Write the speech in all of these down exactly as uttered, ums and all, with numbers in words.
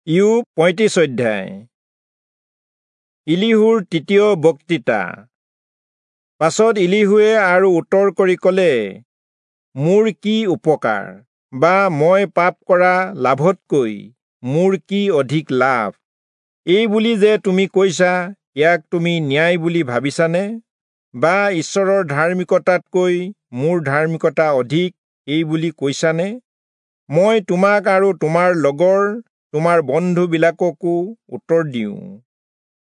ইয়োব পঁয়ত্ৰিশ অধ্যায়। ইলিহুৰ তৃতীয় বক্তৃতা। পাছত ইলিহুৱে আৰু উত্তৰ কৰি কলে, মোৰ কি উপকাৰ, বা মই পাপ কৰা লাভতকৈ মোৰ কি অধিক লাভ? এই বুলি যে তুমি কৈছা, ইয়াক তুমি ন্যায় বুলি ভাবিছানে? বা ঈশ্বৰৰ ধাৰ্মিকতাতকৈ মোৰ ধাৰ্মিকতা অধিক, এই বুলি কৈছানে? মই তোমাক আৰু তোমাৰ লগৰ তোমাৰ বন্ধুবিলাককো উত্তৰ দিওঁ।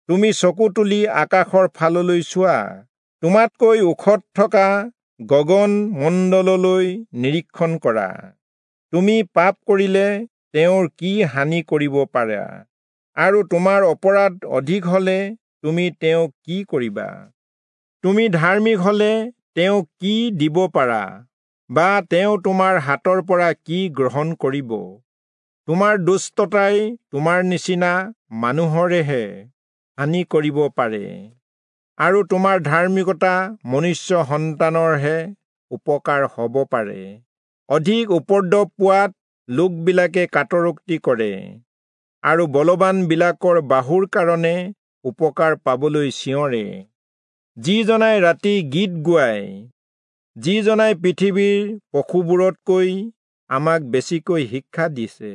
তুমি চকু তুলি আকাশৰ ফাললৈ চোৱা, তোমাতকৈ ওখত থকা গগন মণ্ডললৈ নিৰীক্ষণ কৰা। তুমি পাপ কৰিলে তেওঁৰ কি হানি কৰিব পাৰা, আৰু তোমাৰ অপৰাধ অধিক হলে তুমি তেওঁক কি কৰিবা? তুমি ধাৰ্মিক হলে তেওঁক কি দিব পাৰা, বা তেওঁ তোমাৰ হাতৰ পৰা কি গ্ৰহণ কৰিব? তোমাৰ দুষ্টতাই তোমাৰ নিচিনা মানুহৰেহে হানি কৰিব পাৰে, আৰু তোমাৰ ধাৰ্মিকতা মনুষ্য সন্তানৰহে উপকাৰ হ'ব পাৰে। অধিক উপদ্ৰৱ পোৱাত লোকবিলাকে কাতৰোক্তি কৰে, আৰু বলৱানবিলাকৰ বাহুৰ কাৰণে উপকাৰ পাবলৈ চিঞৰে। যিজনাই ৰাতি গীত গোৱায়, যিজনাই পৃথিৱীৰ পশুবোৰতকৈ আমাক বেছিকৈ শিক্ষা দিছে,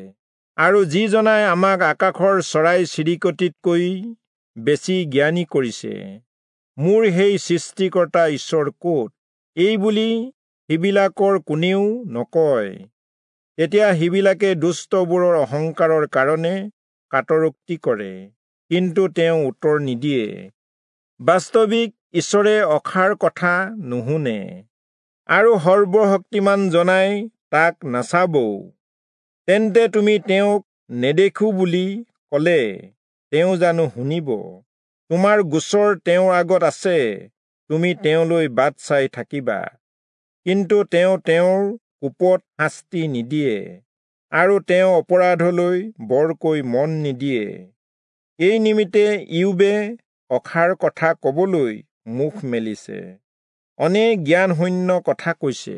আৰু যিজনাই আমাক আকাশৰ চৰাই চিৰিকটিতকৈ বেছি জ্ঞানী কৰিছে, মোৰ সেই সৃষ্টিকৰ্তা ঈশ্বৰ ক'ত? এই বুলি সিবিলাকৰ কোনেও নকয়। তেতিয়া সিবিলাকে দুষ্টবোৰৰ অহংকাৰৰ কাৰণে কাতৰোক্তি কৰে, কিন্তু তেওঁ উত্তৰ নিদিয়ে। বাস্তৱিক ঈশ্বৰে অসাৰ কথা নুশুনে, আৰু সৰ্বশক্তিমান জনাই তাক নাচাবও। তেন্তে তুমি তেওঁক নেদেখো বুলি কলে তেওঁ জানো শুনিব? তোমাৰ গোচৰ তেওঁৰ আগত আছে, তুমি তেওঁলৈ বাট চাই থাকিবা। কিন্তু তেওঁ তেওঁৰ কোপত শাস্তি নিদিয়ে, আৰু তেওঁ অপৰাধলৈ বৰকৈ মন নিদিয়ে। এই নিমিত্তে ইয়োবে অসাৰ কথা কবলৈ মুখ মেলিছে, অনেক জ্ঞানশূন্য কথা কৈছে।